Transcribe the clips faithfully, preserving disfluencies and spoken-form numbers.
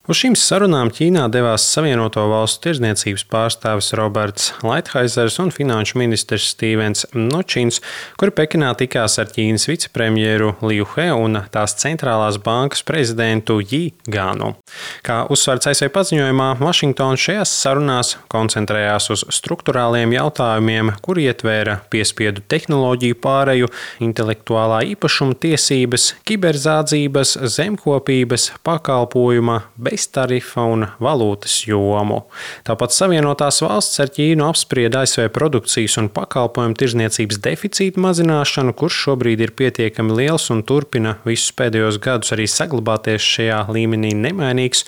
Uz šīm sarunām Ķīnā devās Savienoto Valstu tirdzniecības pārstāvis Roberts Laithaizers un finanšu ministrs Stīvens Mnučins, kuri Pekinā tikās ar Ķīnas vicepremjeru Liu He un tās centrālās bankas prezidentu Ji Ganu. Kā uzsverts A S V paziņojumā, Vašingtona šajās sarunās koncentrējās uz strukturāliem jautājumiem, kuri ietvēra piespiedu tehnoloģiju pāreju, intelektuālā īpašuma tiesības, kiberzādzības, zemkopības, pakalpojuma, beztarifa un valūtas jomu. Tāpat Savienotās Valstis ar Ķīnu apsprieda A S V produkcijas un pakalpojumu tirdzniecības deficīta mazināšanu, kurš šobrīd ir pietiekami liels un turpina visus pēdējos gadus arī saglabāties šajā līmenī nemainīgs.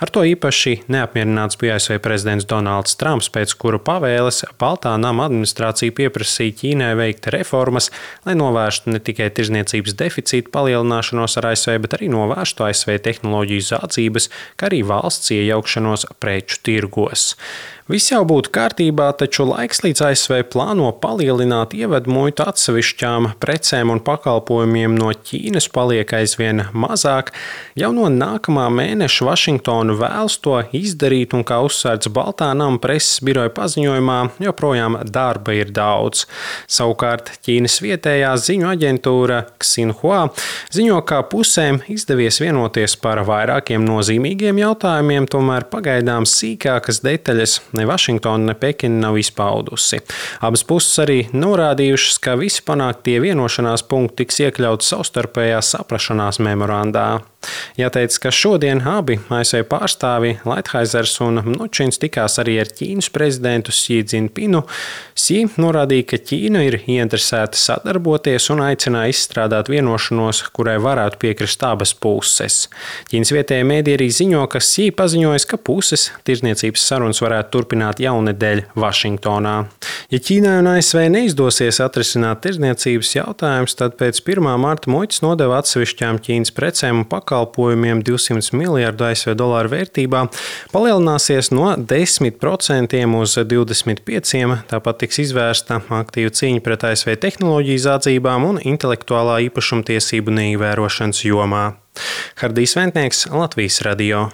Ar to īpaši neapmierināts bija A S V prezidents Donalds Trumps, pēc kura pavēles Baltā nama administrācija pieprasīja Ķīnai veikt reformas, lai novērstu ne tikai tirdzniecības deficīta palielināšanos ar A S V, bet arī novērstu A S V tehnoloģiju zādzības, kā arī valsts iejaukšanos preču tirgos. Viss jau būtu kārtībā, taču laiks līdz A S V plāno palielināt ievedmuitu atsevišķām precēm un pakalpojumiem no Ķīnas paliek aizvien mazāk. Jau no nākamā mēneša Vašingtona vēlas to izdarīt, un kā uzsvērts Baltā nama preses biroja paziņojumā, joprojām darba ir daudz. Savukārt Ķīnas vietējā ziņu aģentūra Xinhua ziņo, ka pusēm izdevies vienoties par vairākiem nozīmīgiem jautājumiem, tomēr pagaidām sīkākas detaļas ne Vašingtona, ne Pekina nav izpaudusi. Abas puses arī norādījušas, ka visi panāktie vienošanās punkti tiks iekļauti savstarpējā saprašanās memorandā. Jāteic, ka šodien abi A S V pārstāvi Laithaizers un Mnučins tikās arī ar Ķīnas prezidentu Xi Jinpingu. Xi norādīja, ka Ķīna ir ieinteresēta sadarboties un aicināja izstrādāt vienošanos, kurai varētu piekrist abas puses. Ķīnas vietējie mēdī arī ziņo, ka Xi paziņojis, ka puses tirdzniecības sarunas varētu turpināt jaunedēļ Vašingtonā. Ja Ķīnai un A S V neizdosies atrisināt tirdzniecības jautājumus, tad pēc pirmā marta muitas nodeva atsevišķām Ķīnas precēm un pakalpojumiem divsimt miljardu A S V dolāru vērtībā palielināsies no desmit procentiem uz divdesmit pieciem procentiem. Tāpat tiks izvērsta aktīva cīņa pret A S V tehnoloģiju zādzībām un intelektuālā īpašuma tiesību neievērošanas jomā. Hardijs Ventnieks, Latvijas radio.